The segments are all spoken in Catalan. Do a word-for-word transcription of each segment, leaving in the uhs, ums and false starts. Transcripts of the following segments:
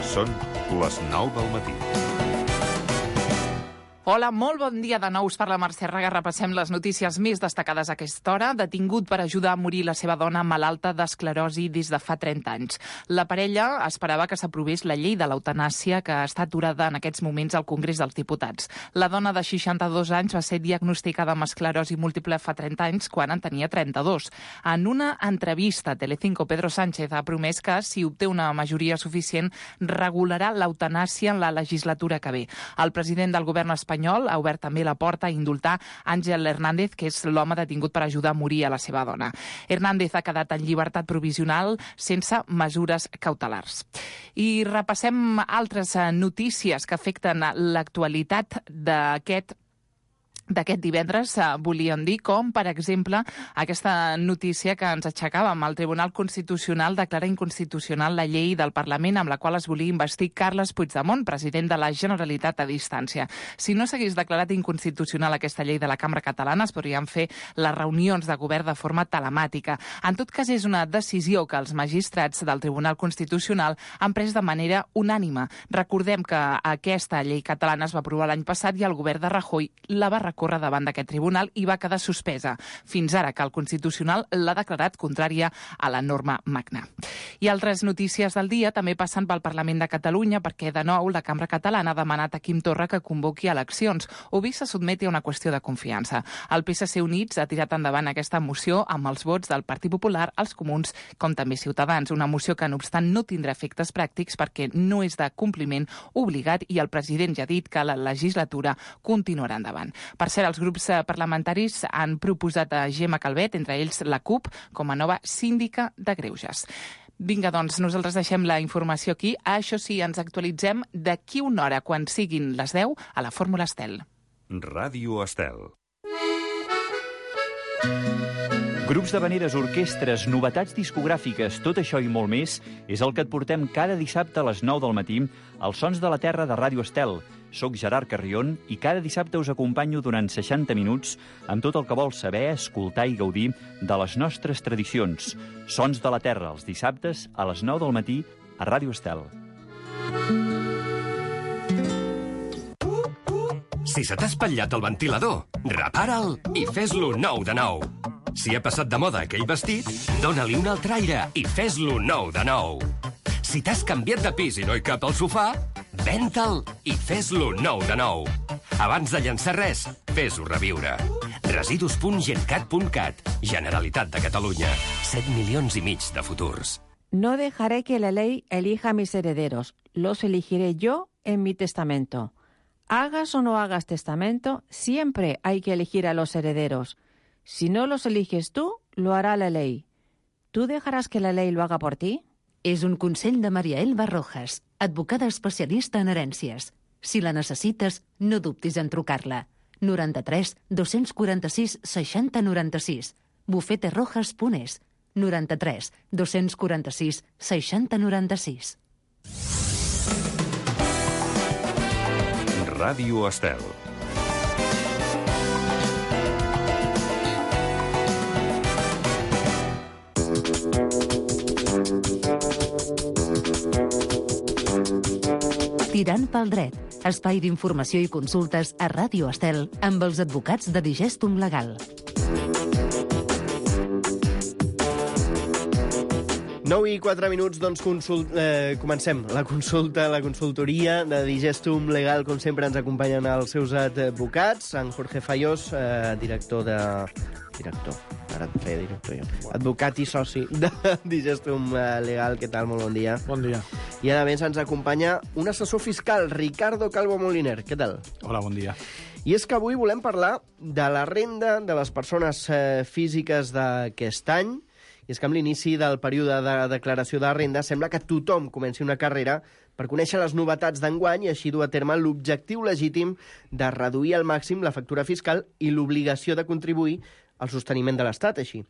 Són les nou del matí. Hola, molt bon dia de nou. Us parla Mercè Raga. Repassem les notícies més destacades a aquesta hora. Detingut per ajudar a morir la seva dona malalta d'esclerosi des de fa trenta anys. La parella esperava que s'aprovés la llei de l'eutanàsia que està aturada en aquests moments al Congrés dels Diputats. La dona de seixanta-dos anys va ser diagnosticada amb esclerosi múltiple fa trenta anys quan en tenia trenta-dos. En una entrevista a Telecinco, Pedro Sánchez ha promès que, si obté una majoria suficient, regularà l'eutanàsia en la legislatura que ve. El president del govern espanyol espanyol ha obert també la porta a indultar Ángel Hernández, que és l'home detingut per ajudar a morir a la seva dona. Hernández ha quedat en llibertat provisional sense mesures cautelars. I repassem altres notícies que afecten l'actualitat d'aquest d'aquest divendres, eh, volíem dir, com, per exemple, aquesta notícia que ens aixecàvem. El Tribunal Constitucional declara inconstitucional la llei del Parlament amb la qual es volia investir Carles Puigdemont, president de la Generalitat a distància. Si no s'hagués declarat inconstitucional aquesta llei de la Cambra Catalana, es podrien fer les reunions de govern de forma telemàtica. En tot cas, és una decisió que els magistrats del Tribunal Constitucional han pres de manera unànime. Recordem que aquesta llei catalana es va aprovar l'any passat i el govern de Rajoy la va recórrer davant d'aquest tribunal i va quedar suspesa, fins ara que el Constitucional l'ha declarat contrària a la norma magna. I altres notícies del dia també passen pel Parlament de Catalunya perquè, de nou, la Cambra Catalana ha demanat a Quim Torra que convoqui eleccions o bé se sotmeti a una qüestió de confiança. El P S C Units ha tirat endavant aquesta moció amb els vots del Partit Popular, els Comuns, com també Ciutadans. Una moció que, no obstant, no tindrà efectes pràctics perquè no és de compliment obligat i el president ja ha dit que la legislatura continuarà endavant. Per cert, els grups parlamentaris han proposat a Gemma Calvet, entre ells la CUP, com a nova síndica de greuges. Vinga, doncs, nosaltres deixem la informació aquí. Això sí, ens actualitzem d'aquí una hora, quan siguin les deu, a la Fórmula Estel. Ràdio Estel. Grups d'havaneres, orquestres, novetats discogràfiques, tot això i molt més és el que et portem cada dissabte a les nou del matí als Sons de la Terra de Ràdio Estel. Soc Gerard Carrion i cada dissabte us acompanyo durant seixanta minuts amb tot el que vols saber, escoltar i gaudir de les nostres tradicions. Sons de la Terra, els dissabtes a les nou del matí a Ràdio Estel. Si se t'ha espatllat el ventilador, repara'l i fes-lo nou de nou. Si ha passat de moda aquell vestit, dóna-li un altre aire i fes-lo nou de nou. Si t'has canviat de pis i no hi cap al sofà, ven-te'l i fes-lo nou de nou. Abans de llançar res, fes-ho reviure. residus punt gencat punt cat, Generalitat de Catalunya. set milions i mig de futurs. No dejaré que la ley elija a mis herederos. Los elegiré yo en mi testamento. Hagas o no hagas testamento, siempre hay que elegir a los herederos. Si no los eliges tú, lo hará la ley. ¿Tú dejarás que la ley lo haga por ti? És un consell de Maria Elba Rojas, advocada especialista en herències. Si la necessites, no dubtis en trucar-la. noranta-tres dos-cents quaranta-sis seixanta noranta-sis. bufete rojas punt es. noranta-tres dos-cents quaranta-sis seixanta noranta-sis. Ràdio Estel. Tirant pel dret, espai d'informació i consultes a Ràdio Estel amb els advocats de Digestum Legal. nou i quatre minuts, doncs consult, eh, comencem la consulta, la consultoria de Digestum Legal. Com sempre ens acompanyen els seus advocats, en Jorge Fayós, eh, director de... Director, ara et feia director jo. Advocat i soci de Digestum Legal. Què tal? Molt bon dia. Bon dia. I a més ens acompanya un assessor fiscal, Ricardo Calvo Moliner. Què tal? Hola, bon dia. I és que avui volem parlar de la renda de les persones eh, físiques d'aquest any. I és que amb l'inici del període de declaració de renda sembla que tothom comenci una carrera per conèixer les novetats d'enguany i així dur a terme l'objectiu legítim de reduir al màxim la factura fiscal i l'obligació de contribuir al sosteniment de l'Estat, així.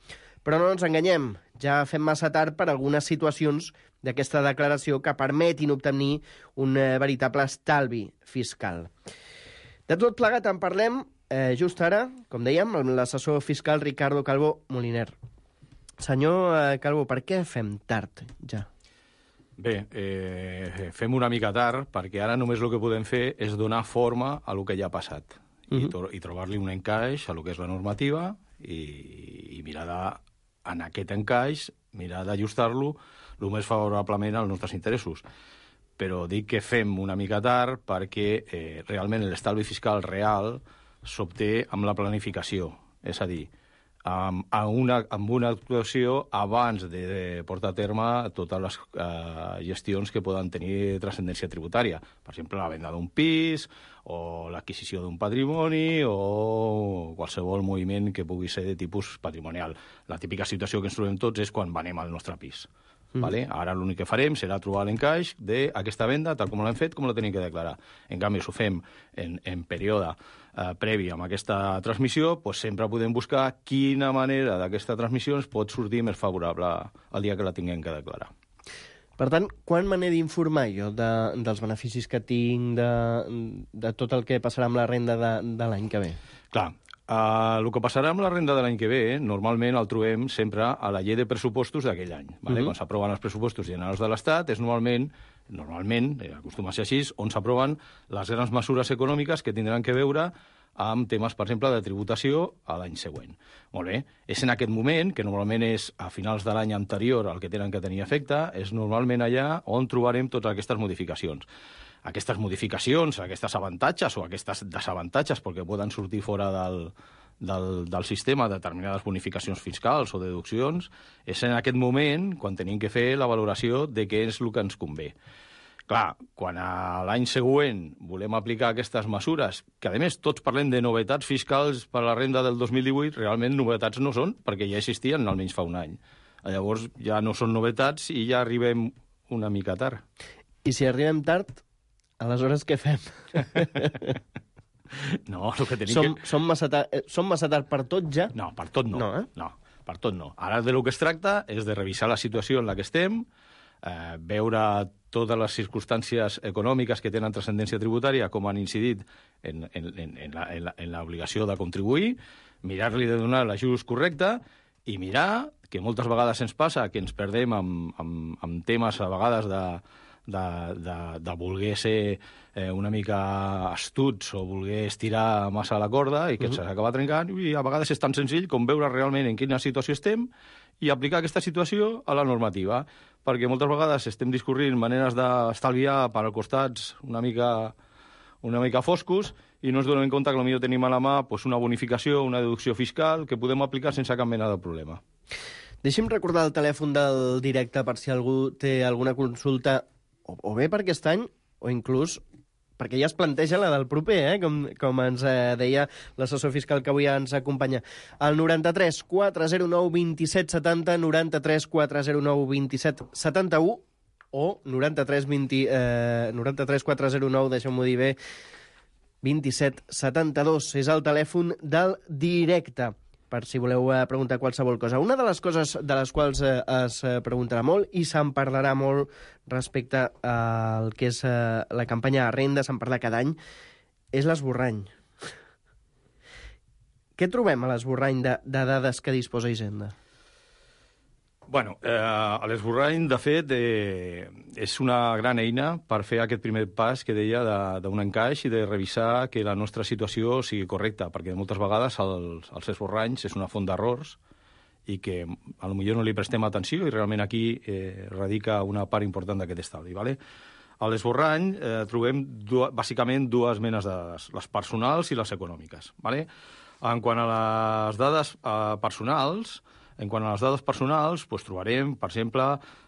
Però no ens enganyem, ja fem massa tard per algunes situacions d'aquesta declaració que permetin obtenir un eh, veritable estalvi fiscal. De tot plegat en parlem eh, just ara, com dèiem, amb l'assessor fiscal Ricardo Calvo Moliner. Senyor eh, Calvo, per què fem tard ja? Bé, eh, fem una mica tard, perquè ara només el que podem fer és donar forma a el que ja ha passat uh-huh. i, to- i trobar-li un encaix a el que és la normativa i, i mirar de, en aquest encaix, mirar d'ajustar-lo el més favorablement als nostres interessos. Però dic que fem una mica tard perquè eh, realment l'estalvi fiscal real s'obté amb la planificació, és a dir, amb, amb, una, amb una actuació abans de, de portar a terme totes les eh, gestions que poden tenir transcendència tributària. Per exemple, la venda d'un pis, o l'adquisició d'un patrimoni, o qualsevol moviment que pugui ser de tipus patrimonial. La típica situació que ens trobem tots és quan venem al nostre pis. Mm. Vale? Ara l'únic que farem serà trobar l'encaix d'aquesta venda, tal com l'hem fet, com la tenim que declarar. En canvi, si ho fem en, en període eh, previ amb aquesta transmissió, doncs sempre podem buscar quina manera d'aquesta transmissió ens pot sortir més favorable el dia que la tinguem que declarar. Per tant, quan me n'he d'informar jo de, dels beneficis que tinc, de, de tot el que passarà amb la renda de, de l'any que ve? Clar, Uh, el que passarà amb la renda de l'any que ve, normalment el trobem sempre a la llei de pressupostos d'aquell any. Vale? Uh-huh. Quan s'aproven els pressupostos generals de l'Estat, és normalment, normalment, eh, acostuma a ser així, on s'aproven les grans mesures econòmiques que tindran que veure amb temes, per exemple, de tributació a l'any següent. Molt bé, és en aquest moment, que normalment és a finals de l'any anterior al que tenen que tenir efecte, és normalment allà on trobarem totes aquestes modificacions. Aquestes modificacions, aquests avantatges o aquestes desavantatges, perquè poden sortir fora del, del, del sistema determinades bonificacions fiscals o deduccions, és en aquest moment quan tenim que fer la valoració de què és el que ens convé. Clar, quan a l'any següent volem aplicar aquestes mesures, que a més tots parlem de novetats fiscals per a la renda del dos mil divuit, realment novetats no són, perquè ja existien almenys fa un any. Llavors ja no són novetats i ja arribem una mica tard. I si arribem tard, aleshores què fem? No, el que tenim som, que... Som massa, tard, som massa tard per tot ja? No, per tot no. No, eh? no, per tot no. Ara de lo que es tracta és de revisar la situació en la que estem, eh, veure totes les circumstàncies econòmiques que tenen transcendència tributària, com han incidit en, en, en, en l'obligació de contribuir, mirar-li de donar l'ajust correcte i mirar, que moltes vegades ens passa, que ens perdem amb, amb, amb temes a vegades de, de, de, de voler ser eh, una mica astuts o voler estirar massa la corda i que uh-huh. s'acaba trencant, i a vegades és tan senzill com veure realment en quina situació estem i aplicar aquesta situació a la normativa, perquè moltes vegades estem discorrint maneres d'estalviar per als costats una mica, una mica foscos i no ens donem compte que potser tenim a la mà pues, una bonificació, una deducció fiscal que podem aplicar sense cap mena de problema. Deixi'm recordar el telèfon del directe per si algú té alguna consulta, o, o bé per aquest any, o inclús perquè ja es planteja la del proper, eh? com, com ens eh, deia l'assessor fiscal que avui ens acompanya. El noranta-tres quatre zero nou vint-i-set setanta, noranta-tres quatre zero nou vint-i-set setanta-u o noranta-tres vint, eh, noranta-tres quatre zero nou, deixeu-m'ho dir bé, vint-i-set setanta-dos. És el telèfon del directe, per si voleu eh, preguntar qualsevol cosa. Una de les coses de les quals eh, es eh, preguntarà molt i se'n parlarà molt respecte al que és eh, la campanya de renda, se'n parla cada any, és l'esborrany. Què trobem a l'esborrany de, de dades que disposa Hisenda? Bueno, eh, l'esborrany, de fet, eh, és una gran eina per fer aquest primer pas que deia d'un encaix i de revisar que la nostra situació sigui correcta, perquè moltes vegades els, els esborranys és una font d'errors i que a lo millor no li prestem atenció i realment aquí eh, radica una part important d'aquest estalvi. Vale? A l'esborrany eh, trobem du bàsicament dues menes de dades, les personals i les econòmiques. Vale? En quant a les dades eh, personals, En quant a les dades personals, doncs trobarem, per exemple,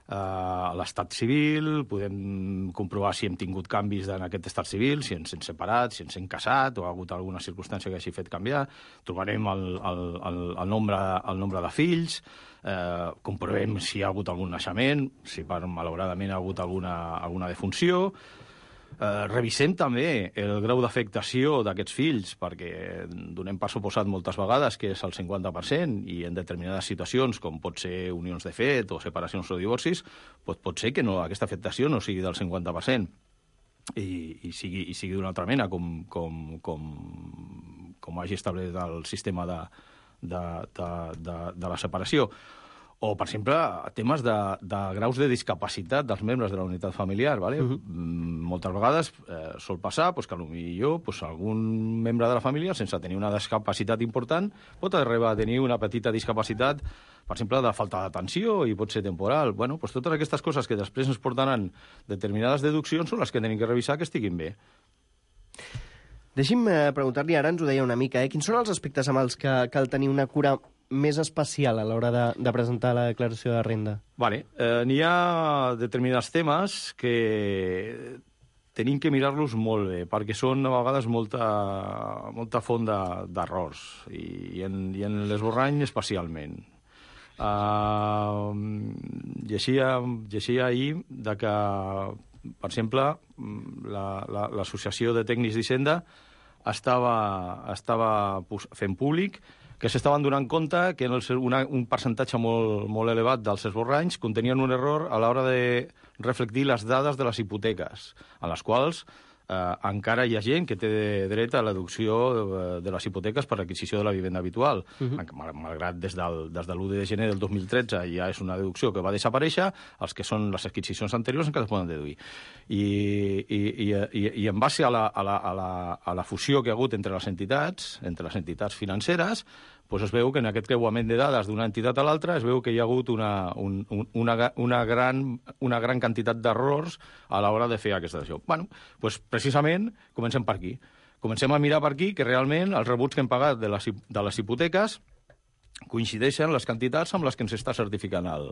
eh, l'estat civil, podem comprovar si hem tingut canvis en aquest estat civil, si ens hem separat, si ens hem casat o ha hagut alguna circumstància que hagi fet canviar. Trobarem el, el, el, el, nombre, el nombre de fills, eh, comprovem si hi ha hagut algun naixement, si per, malauradament ha hagut alguna, alguna defunció. Eh, revisem també el grau d'afectació d'aquests fills, perquè donem per suposat moltes vegades que és el cinquanta per cent i en determinades situacions, com pot ser unions de fet o separacions o divorcis, doncs pot ser que no, aquesta afectació no sigui del cinquanta per cent i, i sigui, i sigui d'una altra mena, com, com, com, com hagi establert el sistema de, de, de, de, de la separació. O, per exemple, temes de, de graus de discapacitat dels membres de la unitat familiar. ¿vale? Uh-huh. Moltes vegades eh, sol passar pues, que potser pues, algun membre de la família, sense tenir una discapacitat important, pot arribar a tenir una petita discapacitat, per exemple, de falta d'atenció i pot ser temporal. Bueno, pues, totes aquestes coses que després ens portaran determinades deduccions són les que tenim que revisar que estiguin bé. Deixi'm eh, preguntar-li, ara ens ho deia una mica, eh? quins són els aspectes amb els que cal tenir una cura més especial a l'hora de, de presentar la declaració de renda? Vale. Eh, n'hi ha determinats temes que tenim que mirar-los molt bé, perquè són a vegades molta, molta font d'errors, i, i, en, i en l'esborrany especialment. Uh, llegia, llegia ahir de que, per exemple, l'Associació la, la, de Tècnics d'Hisenda estava, estava fent públic que s'estaven donant compte que en el, una, un percentatge molt, molt elevat dels esborranys contenien un error a l'hora de reflectir les dades de les hipoteques, en les quals eh, encara hi ha gent que té dret a l'adopció de, de les hipoteques per l'adquisició de la vivenda habitual. Uh-huh. Malgrat des del, des de l'u de gener del dos mil tretze ja és una deducció que va desaparèixer, els que són les adquisicions anteriors encara es poden deduir. I, i, i, i, i en base a la, a, la, a, la, a la fusió que ha hagut entre les entitats, entre les entitats financeres, doncs es veu que en aquest creuament de dades d'una entitat a l'altra es veu que hi ha hagut una, un, una, una, gran, una gran quantitat d'errors a l'hora de fer aquesta decisió. Bueno, doncs precisament comencem per aquí. Comencem a mirar per aquí que realment els rebuts que hem pagat de les, de les hipoteques coincideixen les quantitats amb les que ens està certificant el,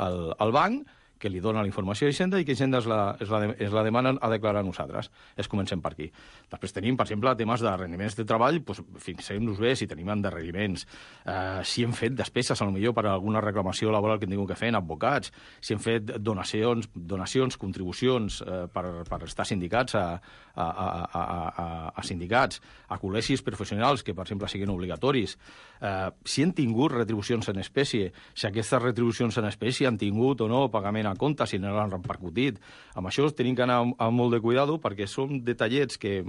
el, el banc, que li dona la informació a Hisenda i que Hisenda es la, es la, es la demana a declarar a nosaltres. Es comencem per aquí. Després tenim, per exemple, temes de rendiments de treball, doncs fixem-nos bé si tenim endarreriments, eh, si hem fet despeses, potser per alguna reclamació laboral que hem tingut que fer en advocats, si hem fet donacions, donacions contribucions eh, per, per estar sindicats a, a, a, a, a, a sindicats, a col·legis professionals que, per exemple, siguin obligatoris, eh, si han tingut retribucions en espècie, si aquestes retribucions en espècie han tingut o no pagament a compte, si no l'han repercutit. Amb això tenim que anar amb molt de cuidado perquè són detallets que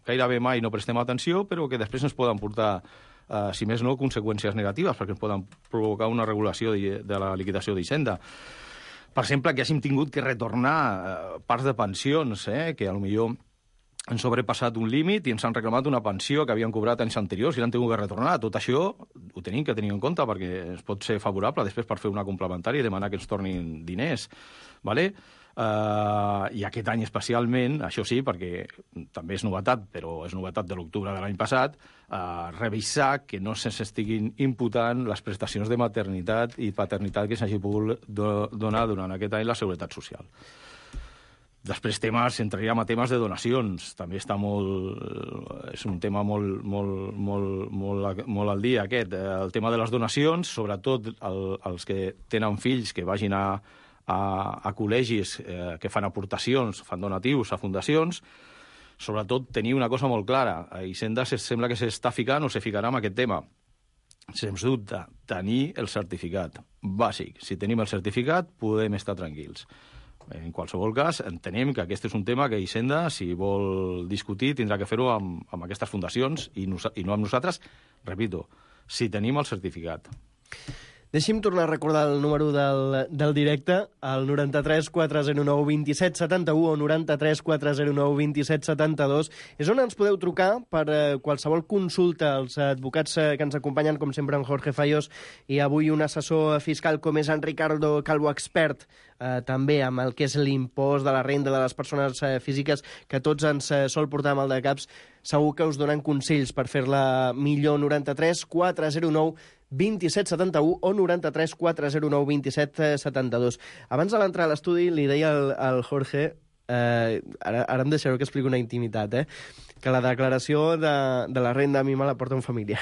gairebé mai no prestem atenció, però que després ens poden portar, eh, si més no, conseqüències negatives, perquè ens poden provocar una regulació de, de la liquidació d'Hisenda. Per exemple, que hàgim tingut que retornar eh, parts de pensions, eh, que potser han sobrepassat un límit i ens han reclamat una pensió que havien cobrat anys anteriors i l'han tingut que retornar. Tot això ho tenim que tenir en compte perquè es pot ser favorable després per fer una complementària i demanar que ens tornin diners. Vale? Uh, I aquest any especialment, això sí, perquè també és novetat, però és novetat de l'octubre de l'any passat, uh, revisar que no s'estiguin imputant les prestacions de maternitat i paternitat que s'hagi pogut do donar durant aquest any la Seguretat Social. Després temes, entraríem a temes de donacions. També està molt... És un tema molt, molt, molt, molt, molt al dia, aquest. El tema de les donacions, sobretot el, els que tenen fills que vagin a, a, a col·legis eh, que fan aportacions, fan donatius a fundacions, sobretot tenir una cosa molt clara. A Hisenda sembla que s'està ficant o se ficarà en aquest tema. Sens dubte, tenir el certificat bàsic. Si tenim el certificat, podem estar tranquils. En qualsevol cas, entenem que aquest és un tema que Hisenda, si vol discutir, tindrà que fer-ho amb, amb aquestes fundacions i, no, i no amb nosaltres, repito, si tenim el certificat. Deixi'm tornar a recordar el número del, del directe, el noranta-tres quatre zero nou vint set setanta-u o noranta-tres quatre zero nou vint set setanta-dos. És on ens podeu trucar per eh, qualsevol consulta. Els advocats eh, que ens acompanyen, com sempre, en Jorge Fallos, i avui un assessor fiscal com és en Ricardo Calvo, expert eh, també amb el que és l'impost de la renda de les persones eh, físiques, que tots ens eh, sol portar mal de caps. Segur que us donen consells per fer-la millor. Noranta-tres quatre zero nou vint set setanta-u o noranta-tres quatre zero nou vint set setanta-dos. Abans de l'entrar a l'estudi li deia al, al Jorge, eh, ara, ara em deixareu que expliqui una intimitat, eh, que la declaració de, de la renda a mi me la porta un familiar.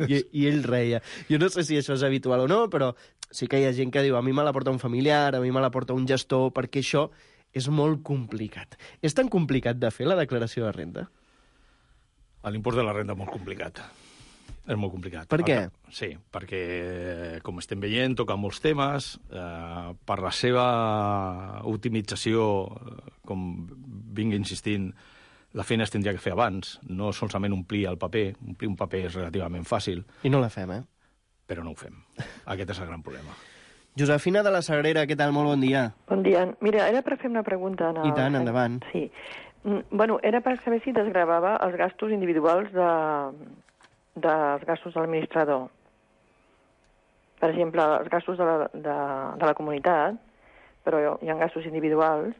I, I ell reia. Jo no sé si això és habitual o no, però sí que hi ha gent que diu a mi me la porta un familiar, a mi me la porta un gestor, perquè això és molt complicat. És tan complicat de fer la declaració de renda? L'impost de la renda és molt complicat. És molt complicat. Per què? Sí, perquè, com estem veient, toca molts temes. Eh, per la seva optimització, com vinc insistint, la feina es tindria que fer abans, no solament omplir el paper. Omplir un paper és relativament fàcil. I no la fem, eh? Però no ho fem. Aquest és el gran problema. Josefina de la Sagrera, què tal? Molt bon dia. Bon dia. Mira, era per fer una pregunta. En el... I tant, endavant. Sí. Bueno, era per saber si desgravava els gastos individuals de... dels gastos de l'administrador. Per exemple, els gastos de la, de, de la comunitat, però hi ha gastos individuals,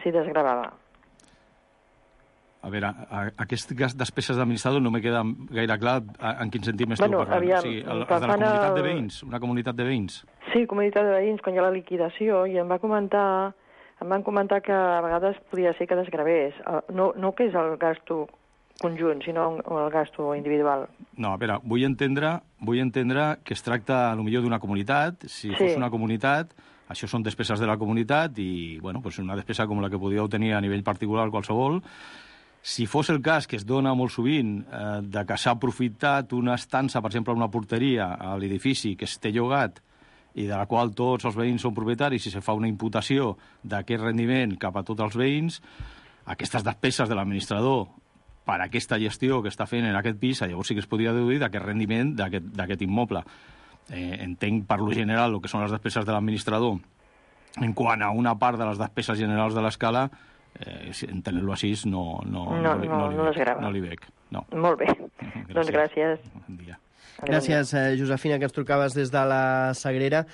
si desgravava. A veure, aquestes despeses d'administrador no me queda gaire clar en quin sentit m'esteu bueno, parlant. Aviam, o sigui, el, el de la comunitat de veïns, una comunitat de veïns. Sí, comunitat de veïns, quan hi ha la liquidació, i em va comentar, em van comentar que a vegades podia ser que desgravés. No, no que és el gasto conjunt, sinó el gasto individual. No, a veure, vull entendre, vull entendre que es tracta, potser d'una comunitat. Si sí. fos una comunitat, això són despeses de la comunitat i, bueno, pues una despesa com la que podíeu tenir a nivell particular qualsevol. Si fos el cas, que es dona molt sovint, eh, de que s'ha aprofitat una estança, per exemple, una porteria a l'edifici que es té llogat i de la qual tots els veïns són propietaris i se fa una imputació d'aquest rendiment cap a tots els veïns, aquestes despeses de l'administrador per aquesta gestió que està fent en aquest pis, llavors sí que es podria deduir d'aquest rendiment d'aquest immoble. Eh, entenc per lo general el que són les despeses de l'administrador en quant a una part de les despeses generals de l'escala. Eh, entenent-lo així no, no, no, no, no, no, no, no, veig, no li veig. No. Molt bé. Gràcies. Doncs gràcies. Bon dia. Gràcies, eh, Josefina, que ens trucaves des de la Sagrera.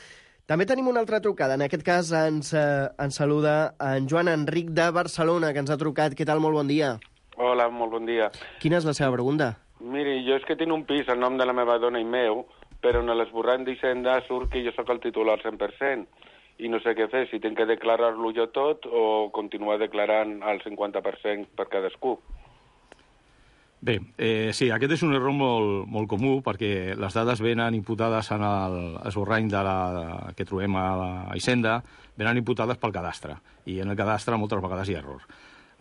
També tenim una altra trucada. En aquest cas ens, eh, ens saluda en Joan Enric de Barcelona, que ens ha trucat. Què tal? Molt bon dia. Hola, molt bon dia. Quina és la seva pregunta? Miri, jo és que tinc un pis al nom de la meva dona i meu, però en l'esborrany d'Hisenda surt que jo sóc el titular al cent per cent. I no sé què fer, si tinc que declarar-lo jo tot o continuar declarant el cinquanta per cent per cadascú. Bé, eh, sí, aquest és un error molt, molt comú perquè les dades venen imputades en l'esborrany de la, que trobem a la Hisenda, venen imputades pel cadastre, i en el cadastre moltes vegades hi ha error.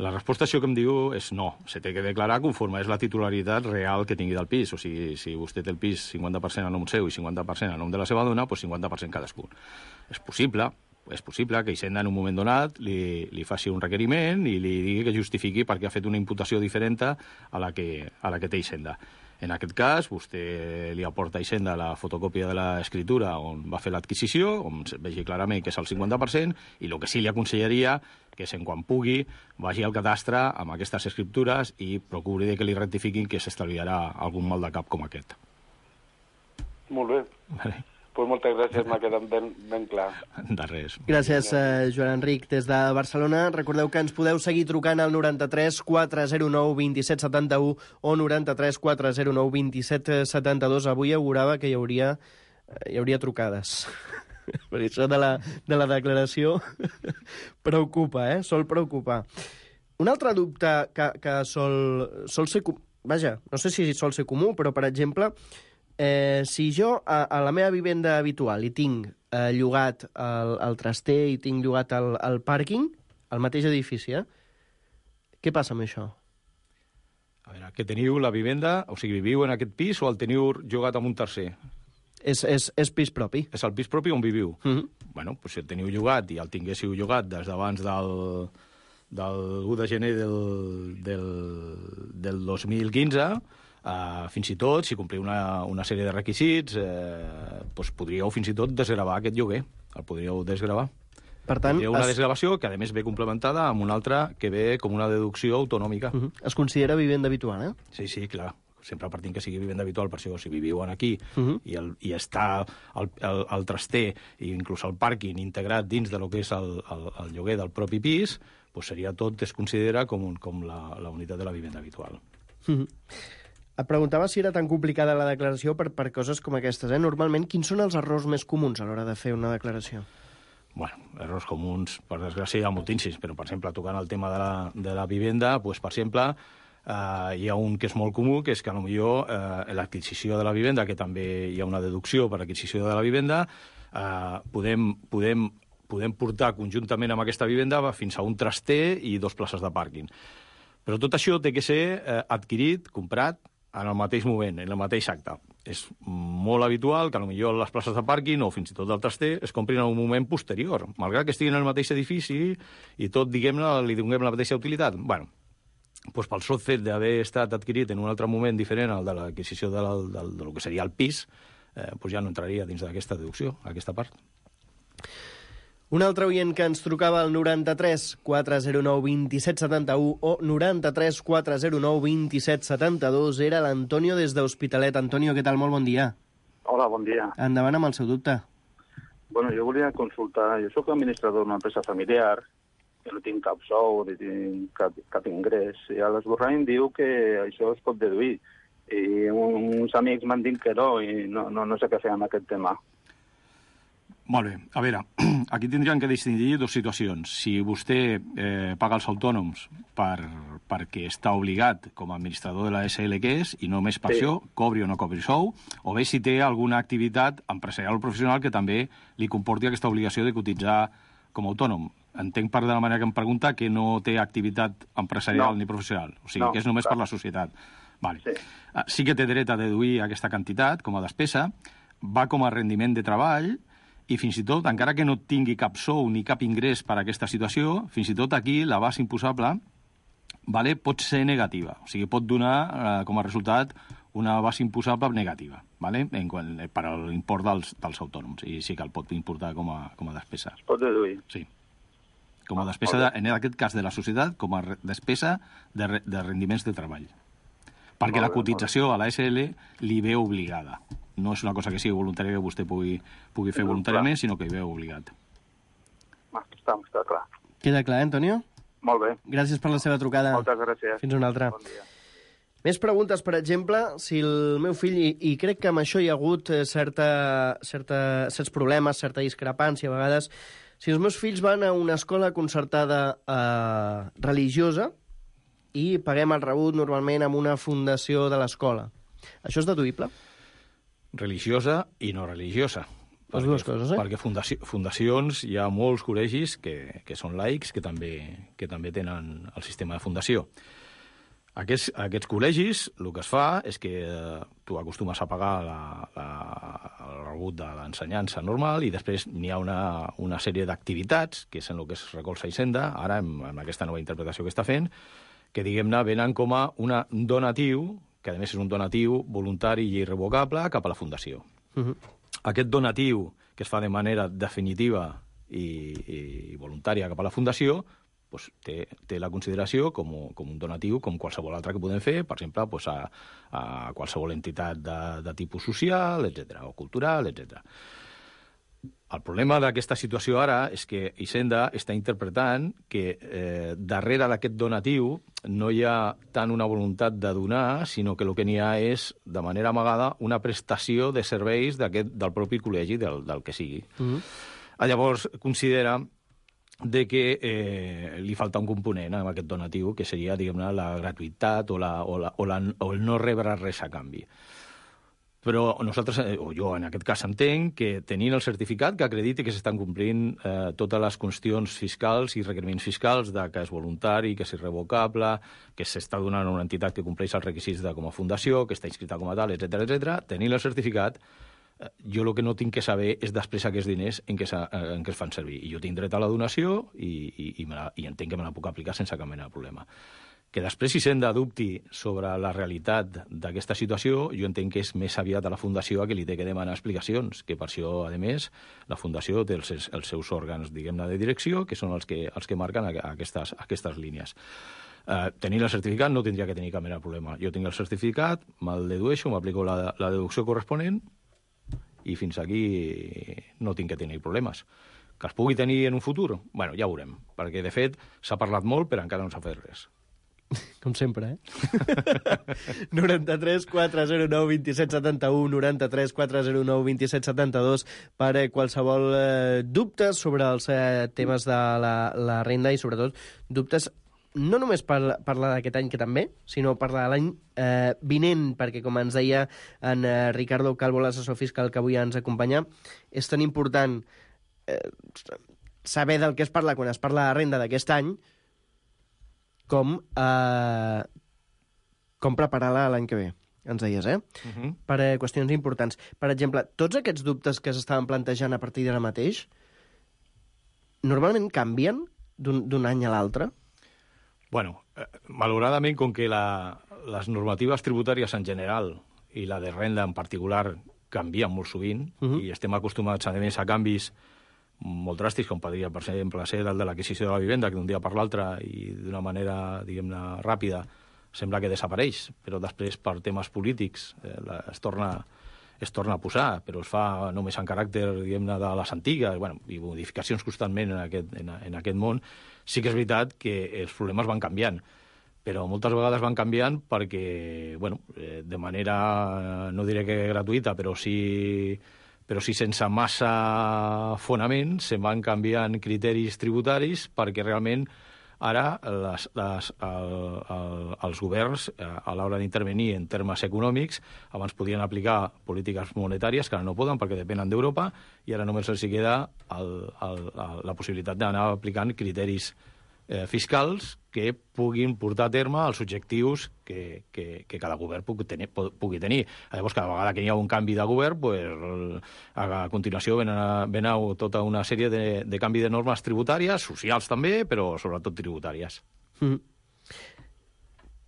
La resposta a això que em diu és no, se té que declarar conforme és la titularitat real que tingui del pis. O sigui, si vostè té el pis cinquanta per cent a nom seu i cinquanta per cent a nom de la seva dona, doncs cinquanta per cent cadascun. És possible, és possible que Hisenda en un moment donat li, li faci un requeriment i li digui que justifiqui perquè ha fet una imputació diferent a la que, a la que té Hisenda. En aquest cas, vostè li aporta a Hisenda la fotocòpia de l'escriptura on va fer l'adquisició, on vegi clarament que és el cinquanta per cent, i el que sí li aconsellaria que és en quan pugui vagi al cadastre amb aquestes escriptures i procuri que li rectifiquin, que s'estalviarà algun mal de cap com aquest. Molt bé. Vale. Pues moltes gràcies, m'ha quedat ben, ben clar. De res. Gràcies, eh, Joan Enric, des de Barcelona. Recordeu que ens podeu seguir trucant al noranta-tres quatre zero nou vint set setanta-u o noranta-tres quatre zero nou vint set setanta-dos. Avui augurava que hi hauria, hi hauria trucades. Perquè això de la, de la declaració preocupa, eh? Sol preocupar. Un altre dubte que, que sol, sol ser... Vaja, no sé si sol ser comú, però, per exemple, eh, si jo a, a la meva vivenda habitual hi tinc eh, llogat el, el traster i tinc llogat el, el pàrquing, al mateix edifici, eh? Què passa amb això? A veure, que teniu la vivenda, o sigui, viviu en aquest pis o el teniu llogat amb un tercer? És, és, és pis propi. És el pis propi on viviu. Uh -huh. Bueno, doncs si el teniu llogat i el tinguéssiu llogat des d'abans del, del u de gener del, del, del dos mil quinze, eh, fins i tot, si compliu una, una sèrie de requisits, eh, doncs podríeu fins i tot desgravar aquest lloguer. El podríeu desgravar. Per tant, hi ha una es... desgravació que, a més, ve complementada amb una altra que ve com una deducció autonòmica. Uh -huh. Es considera vivenda habitual, eh? Sí, sí, clar. Sempre partint que sigui vivenda habitual, per això si viviuen aquí uh -huh. i, el, i està el, el, el traster i inclús el pàrquing integrat dins de lo que és el, el, el lloguer del propi pis, doncs seria tot, es considera com, un, com la, la unitat de la vivenda habitual. Uh -huh. Et preguntava si era tan complicada la declaració per, per coses com aquestes, eh? Normalment, quins són els errors més comuns a l'hora de fer una declaració? Bueno, errors comuns, per desgràcia, hi ha moltíssims, però, per exemple, tocant el tema de la, de la vivenda, doncs, per exemple, Uh, hi ha un que és molt comú, que és que potser uh, l'adquisició de la vivenda, que també hi ha una deducció per l'adquisició de la vivenda, uh, podem, podem, podem portar conjuntament amb aquesta vivenda fins a un traster i dos places de pàrquing. Però tot això té que ser uh, adquirit, comprat, en el mateix moment, en el mateix acte. És molt habitual que potser les places de pàrquing o fins i tot el traster es comprin en un moment posterior, malgrat que estiguin en el mateix edifici i tot, diguem-ne, li donem la mateixa utilitat. Bueno, doncs pel sol fet d'haver estat adquirit en un altre moment diferent al de l'adquisició de, la, de, de lo que seria el pis, eh, doncs ja no entraria dins d'aquesta deducció, aquesta part. Un altre oient que ens trucava al noranta-tres quatre zero nou dos set set u o noranta-tres quatre zero nou dos set set dos era l'Antonio des d'Hospitalet. Antonio, què tal? Molt bon dia. Hola, bon dia. Endavant amb el seu dubte. Bueno, jo volia consultar... Jo sóc administrador d'una empresa familiar, que no tinc cap sou, ni tinc cap, cap ingrés, i a l'esborrany em diu que això es pot deduir. I uns amics m'han dit que no, i no, no, no sé què fer amb aquest tema. Molt bé. A veure, aquí tindríem que distingir dues situacions. Si vostè eh, paga els autònoms per, perquè està obligat com a administrador de la S L que és, i només per sí. això, cobri o no cobri sou, o bé si té alguna activitat empresarial o professional que també li comporti aquesta obligació de cotitzar com a autònom. Entenc per de la manera que em pregunta que no té activitat empresarial no. ni professional, o sigui, no, que és només clar. per la societat. Vale. Sí. sí que té dret a deduir aquesta quantitat com a despesa, va com a rendiment de treball, i fins i tot, encara que no tingui cap sou ni cap ingrés per a aquesta situació, fins i tot aquí la base imposable vale, pot ser negativa. O sigui, pot donar eh, com a resultat una base imposable negativa, vale? en quant, per a l'import dels, dels autònoms. I sí que el pot importar com a, com a despesa. Es pot deduir? Sí. Com a despesa, de, en aquest cas de la societat, com a despesa de, de rendiments de treball. Perquè la cotització a la S L li ve obligada. No és una cosa que sigui voluntària que vostè pugui, pugui fer voluntàriament, sinó que hi ve obligat. Està, està clar. Queda clar, eh, Antonio? Molt bé. Gràcies per la seva trucada. Moltes gràcies. Fins una altra. Bon dia. Més preguntes, per exemple, si el meu fill, i, i crec que amb això hi ha hagut certa, certa, certs problemes, certa discrepància a vegades, si els meus fills van a una escola concertada eh, religiosa i paguem el rebut normalment amb una fundació de l'escola, això és deduïble? Religiosa i no religiosa. Les perquè, dues coses, eh? Perquè fundaci fundacions, hi ha molts col·legis que, que són laics, que també, que també tenen el sistema de fundació. Aquests, aquests col·legis, el que es fa és que eh, tu acostumes a pagar la, la, el rebut de l'ensenyança normal i després n'hi ha una, una sèrie d'activitats, que és en el que es recolza Hisenda, ara amb, amb aquesta nova interpretació que està fent, que, diguem-ne, venen com a un donatiu, que a més és un donatiu voluntari i irrevocable cap a la fundació. Uh -huh. Aquest donatiu, que es fa de manera definitiva i, i voluntària cap a la fundació, pues, té, té la consideració com, com un donatiu com qualsevol altre que podem fer, per exemple, pues, a, a qualsevol entitat de, de tipus social, etcètera, o cultural, etcètera. El problema d'aquesta situació ara és que Hisenda està interpretant que eh, darrere d'aquest donatiu no hi ha tant una voluntat de donar, sinó que el que n'hi ha és, de manera amagada, una prestació de serveis del propi col·legi, del, del que sigui. Mm-hmm. Llavors, considera de que eh, li falta un component en aquest donatiu, que seria, diguem-ne, la gratuïtat o, la, o, la, o, la, o el no rebre res a canvi. Però nosaltres, o jo en aquest cas entenc, que tenint el certificat que acrediti que s'estan complint eh, totes les qüestions fiscals i requeriments fiscals de que és voluntari, que és irrevocable, que s'està donant a una entitat que compleix els requisits de com a fundació, que està inscrita com a tal, etcètera, etcètera, tenint el certificat, eh, jo el que no tinc que saber és després aquests diners en què, en què es fan servir. I jo tinc dret a la donació i, i, i, me la, i entenc que me la puc aplicar sense cap mena de problema. Que després Hisenda dubti sobre la realitat d'aquesta situació, jo entenc que és més aviat a la Fundació a qui li té que demanar explicacions, que per això, a més, la Fundació té els, els seus òrgans, diguem-ne, de direcció, que són els que, els que marquen aquestes, aquestes línies. Eh, tenint el certificat no tindria que tenir cap mena de problema. Jo tinc el certificat, me'l dedueixo, m'aplico la, la deducció corresponent i fins aquí no tinc que tenir problemes. Que es pugui tenir en un futur? Bueno, ja ho veurem, perquè, de fet, s'ha parlat molt, però encara no s'ha fet res. Com sempre, eh? noranta-tres quatre zero nou dos set set u, noranta-tres quatre zero nou dos set set dos per eh, qualsevol eh, dubtes sobre els eh, temes de la, la renda i, sobretot, dubtes no només per parlar d'aquest any, que també, sinó parlar de l'any eh, vinent, perquè, com ens deia en eh, Ricardo Calvo, l'assessor fiscal que avui ens acompanya, és tan important eh, saber del que es parla quan es parla de renda d'aquest any com, eh, com preparar-la l'any que ve, ens deies, eh? Uh-huh. Per eh, qüestions importants. Per exemple, tots aquests dubtes que s'estaven plantejant a partir d'ara mateix, normalment canvien d'un any a l'altre? Bueno, eh, malauradament, com que la, les normatives tributàries en general i la de renda en particular canvien molt sovint, uh-huh. i estem acostumats, a més, a canvis molt dràstics, com podria, per exemple, ser el de l'adquisició de la vivenda, que d'un dia per l'altre i d'una manera, diguem-ne, ràpida, sembla que desapareix, però després, per temes polítics, eh, es torna es torna a posar, però es fa només en caràcter, diguem-ne, de les antigues, bueno, i modificacions constantment en aquest, en, en aquest món. Sí que és veritat que els problemes van canviant, però moltes vegades van canviant perquè, bueno, de manera, no diré que gratuïta, però sí, però sí sense massa fonament, se van canviant criteris tributaris perquè realment ara les, les, el, el, els governs, a l'hora d'intervenir en termes econòmics, abans podien aplicar polítiques monetàries, que ara no poden perquè depenen d'Europa, i ara només els queda el, el, el, la possibilitat d'anar aplicant criteris eh, fiscals que puguin portar a terme els objectius que, que, que cada govern pugui tenir, pugui tenir. Llavors, cada vegada que hi ha un canvi de govern, pues, a continuació ven, a, ven a tota una sèrie de, de canvi de normes tributàries, socials també, però sobretot tributàries. Mm.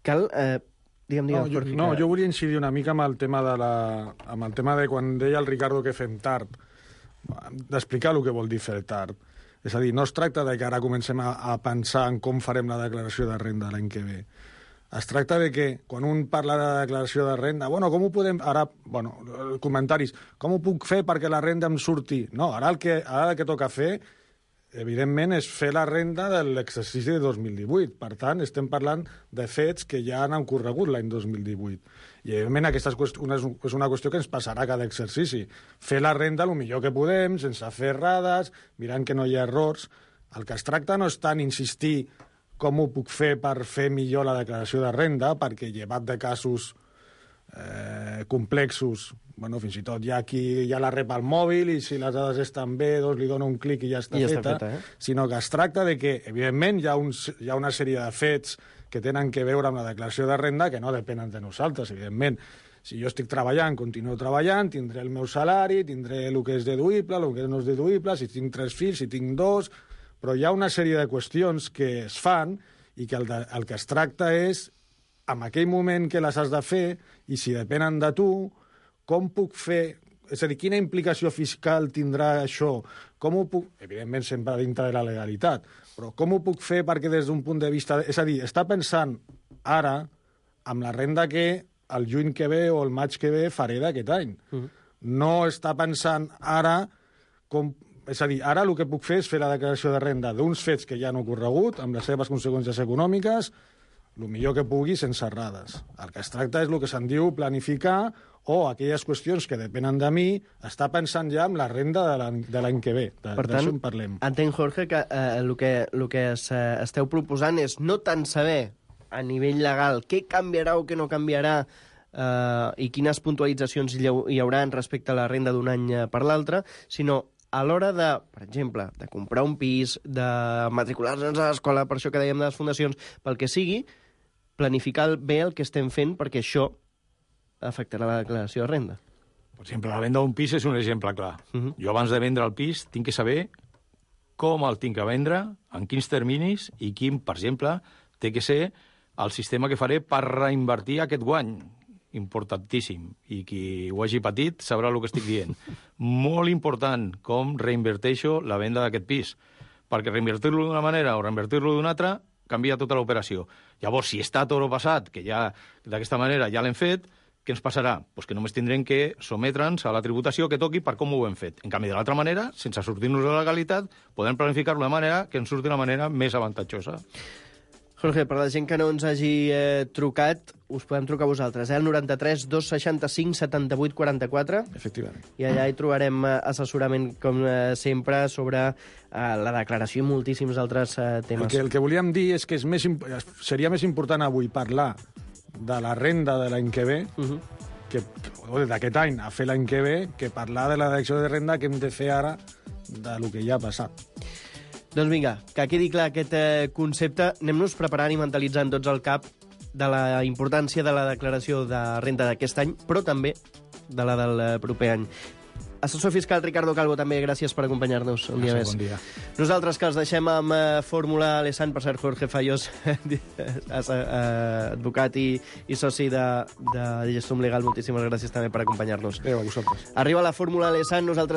Cal... Eh, digue'm, digue'm, no, jo, Jorge, no, que... jo volia incidir una mica amb el tema de la, amb el tema de quan deia el Ricardo que fem tard, d'explicar el que vol dir fer tard. És a dir, no es tracta de que ara comencem a, a pensar en com farem la declaració de renda l'any que ve. Es tracta de que, quan un parla de declaració de renda, bueno, com ho podem... Ara, bueno, comentaris, com ho puc fer perquè la renda em surti? No, ara el que, ara el que toca fer, evidentment, és fer la renda de l'exercici de dos mil divuit. Per tant, estem parlant de fets que ja han ocorregut l'any dos mil divuit. I, evidentment, aquesta és una, és una qüestió que ens passarà cada exercici. Fer la renda el millor que podem, sense fer errades, mirant que no hi ha errors. El que es tracta no és tant insistir com ho puc fer per fer millor la declaració de renda, perquè llevat de casos eh, complexos, bueno, fins i tot hi ha qui ja la rep al mòbil i si les dades estan bé, doncs li dona un clic i ja està, I ja feta, està feta, eh? Sinó que es tracta de que, evidentment, hi ha, un, hi ha una sèrie de fets que tenen que veure amb la declaració de renda que no depenen de nosaltres, evidentment. Si jo estic treballant, continuo treballant, tindré el meu salari, tindré el que és deduïble, el que no és deduïble, si tinc tres fills, si tinc dos... Però hi ha una sèrie de qüestions que es fan i que el, de, el que es tracta és, en aquell moment que les has de fer, i si depenen de tu, com puc fer... És a dir, quina implicació fiscal tindrà això? Com ho puc... Evidentment, sempre dintre de la legalitat, però com ho puc fer perquè des d'un punt de vista... És a dir, està pensant ara amb la renda que el juny que ve o el maig que ve faré d'aquest any. Uh-huh. No està pensant ara com... És a dir, ara el que puc fer és fer la declaració de renda d'uns fets que ja han ocorregut, amb les seves conseqüències econòmiques, el millor que pugui sense errades. El que es tracta és el que se'n diu planificar o aquelles qüestions que depenen de mi, està pensant ja en la renda de l'any que ve. De, per tant, en parlem. Entenc, Jorge, que eh, el que, el que es, eh, esteu proposant és no tant saber a nivell legal què canviarà o què no canviarà eh, i quines puntualitzacions hi, hi haurà respecte a la renda d'un any per l'altre, sinó a l'hora de, per exemple, de comprar un pis, de matricular-nos a l'escola, per això que dèiem de les fundacions, pel que sigui, planificar bé el que estem fent perquè això afectarà la declaració de renda. Per exemple, la venda d'un pis és un exemple clar. Uh-huh. Jo abans de vendre el pis tinc que saber com el tinc que vendre, en quins terminis i quin, per exemple, té que ser el sistema que faré per reinvertir aquest guany. Importantíssim. I qui ho hagi patit sabrà el que estic dient. Molt important com reinverteixo la venda d'aquest pis. Perquè reinvertir-lo d'una manera o reinvertir-lo d'una altra canvia tota l'operació. Llavors, si està tot passat, que ja d'aquesta manera ja l'hem fet, què ens passarà? Pues que només tindrem que sometre'ns a la tributació que toqui per com ho hem fet. En canvi, de l'altra manera, sense sortir-nos de la legalitat, podem planificar-lo de manera que ens surti de manera més avantatjosa. Jorge, per la gent que no ens hagi eh, trucat, us podem trucar a vosaltres, eh? El noranta-tres dos seixanta-cinc setanta-vuit quaranta-quatre. Efectivament. I allà hi trobarem eh, assessorament, com eh, sempre, sobre eh, la declaració i moltíssims altres eh, temes. El que, el que volíem dir és que és més, seria més important avui parlar de la renda de l'any que ve, uh-huh. que d'aquest any a fer l'any que ve, que parlar de la declaració de renda que hem de fer ara de lo que ja ha passat. Doncs vinga, que quedi clar aquest eh, concepte. Anem-nos preparant i mentalitzant tots al cap de la importància de la declaració de renda d'aquest any, però també de la del proper any. Assessor fiscal Ricardo Calvo, també gràcies per acompanyar-nos un dia més. Bon dia. Nosaltres que els deixem amb eh, Fórmula Alessand, per cert, Jorge Fayós, advocat i, i soci de, de Gestum Legal, moltíssimes gràcies també per acompanyar-nos. Adéu a vosaltres. Arriba la Fórmula Alessand, nosaltres